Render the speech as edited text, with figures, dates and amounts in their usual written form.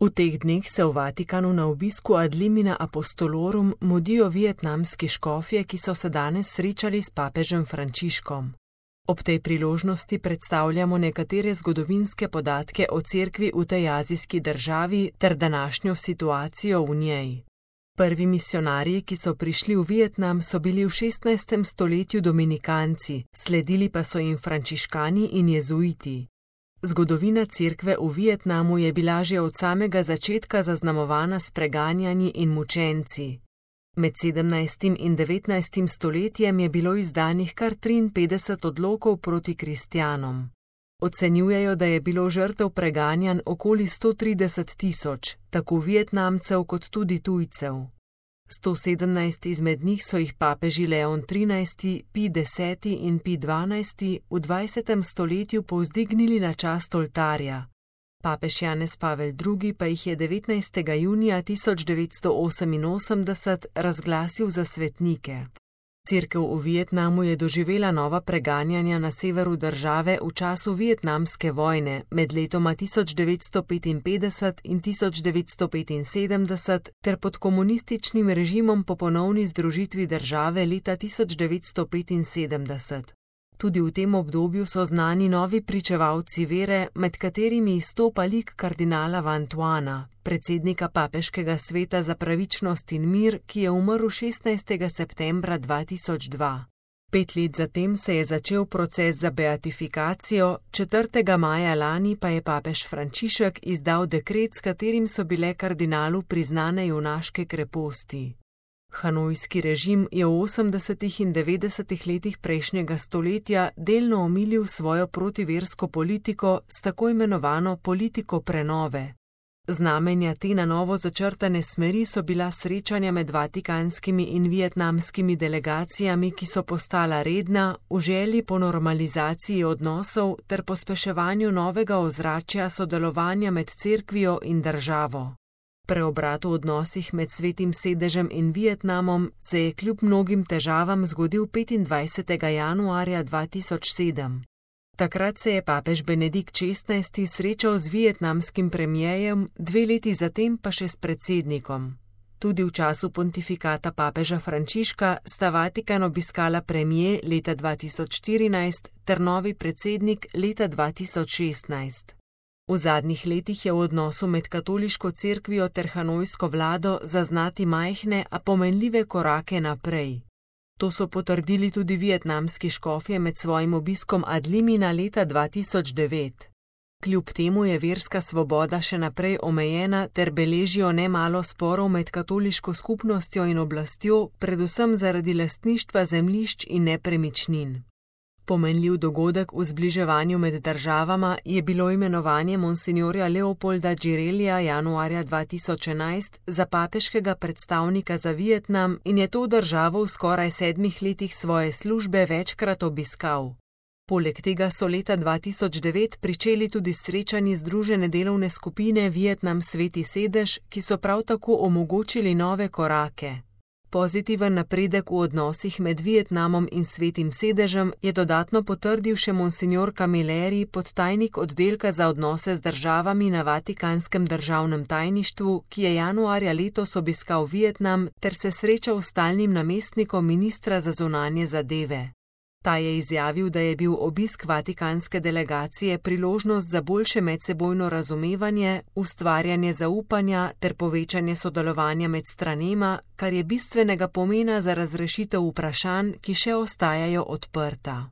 V teh dneh se v Vatikanu na obisku ad limina apostolorum mudijo vietnamski škofje, ki so se danes srečali s papežem Frančiškom. Ob tej priložnosti predstavljamo nekatere zgodovinske podatke o cerkvi v tej azijski državi ter današnjo situacijo v njej. Prvi misionarji, ki so prišli v Vietnam, so bili v 16. stoletju dominikanci, sledili pa so jim frančiškani in jezuiti. Zgodovina cerkve v Vietnamu je bila že od samega začetka zaznamovana s preganjanji in mučenci. Med 17. in 19. stoletjem je bilo izdanih kar 53 odlokov proti kristjanom. Ocenjujejo, da je bilo žrtev preganjanj okoli 130.000, tako Vietnamcev kot tudi tujcev. 117 izmed njih so jih papeži Leon XIII, Pij X in Pij XII v 20. stoletju povzdignili na čast oltarja. Papež Janez Pavel II pa jih je 19. junija 1988 razglasil za svetnike. Cerkev v Vietnamu je doživela nova preganjanja na severu države v času vietnamske vojne med letoma 1955 in 1975 ter pod komunističnim režimom po ponovni združitvi države leta 1975. Tudi v tem obdobju so znani novi pričevalci vere, med katerimi izstopa lik kardinala Van Thuana, predsednika Papeškega sveta za pravičnost in mir, ki je umrl 16. septembra 2002. 5 let zatem se je začel proces za beatifikacijo, 4. maja lani pa je papež Frančišek izdal dekret, s katerim so bile kardinalu priznane junaške kreposti. Hanojski režim je v 80. in 90. letih prejšnjega stoletja delno omilil svojo protiversko politiko s tako imenovano politiko prenove. Znamenja te na novo začrtane smeri so bila srečanja med vatikanskimi in vietnamskimi delegacijami, ki so postala redna v želji po normalizaciji odnosov ter pospeševanju novega ozračja sodelovanja med cerkvijo in državo. Preobrat v odnosih med Svetim sedežem in Vietnamom se je kljub mnogim težavam zgodil 25. januarja 2007. Takrat se je papež Benedikt XVI srečal z vietnamskim premierjem, 2 leti zatem pa še s predsednikom. Tudi v času pontifikata papeža Frančiška sta Vatikan obiskala premier leta 2014 ter novi predsednik leta 2016. V zadnjih letih je v odnosu med katoliško cerkvijo ter hanojsko vlado zaznati majhne, a pomenljive korake naprej. To so potrdili tudi vietnamski škofje med svojim obiskom ad limina leta 2009. Kljub temu je verska svoboda še naprej omejena ter beležijo nemalo sporov med katoliško skupnostjo in oblastjo, predvsem zaradi lastništva zemljišč in nepremičnin. Pomenljiv dogodek v zbliževanju med državama je bilo imenovanje monsinjorja Leopolda Girellija januarja 2011 za papeškega predstavnika za Vietnam in je to državo v skoraj 7 letih svoje službe večkrat obiskal. Poleg tega so leta 2009 pričeli tudi srečanji Združene delovne skupine Vietnam Sveti sedež, ki so prav tako omogočili nove korake. Pozitiven napredek v odnosih med Vietnamom in Svetim sedežem je dodatno potrdil še monsinjor Camilleri, podtajnik oddelka za odnose z državami na Vatikanskem državnem tajništvu, ki je januarja letos obiskal Vietnam ter se srečal s stalnim namestnikom ministra za zunanje zadeve. Ta je izjavil, da je bil obisk vatikanske delegacije priložnost za boljše medsebojno razumevanje, ustvarjanje zaupanja ter povečanje sodelovanja med stranema, kar je bistvenega pomena za razrešitev vprašanj, ki še ostajajo odprta.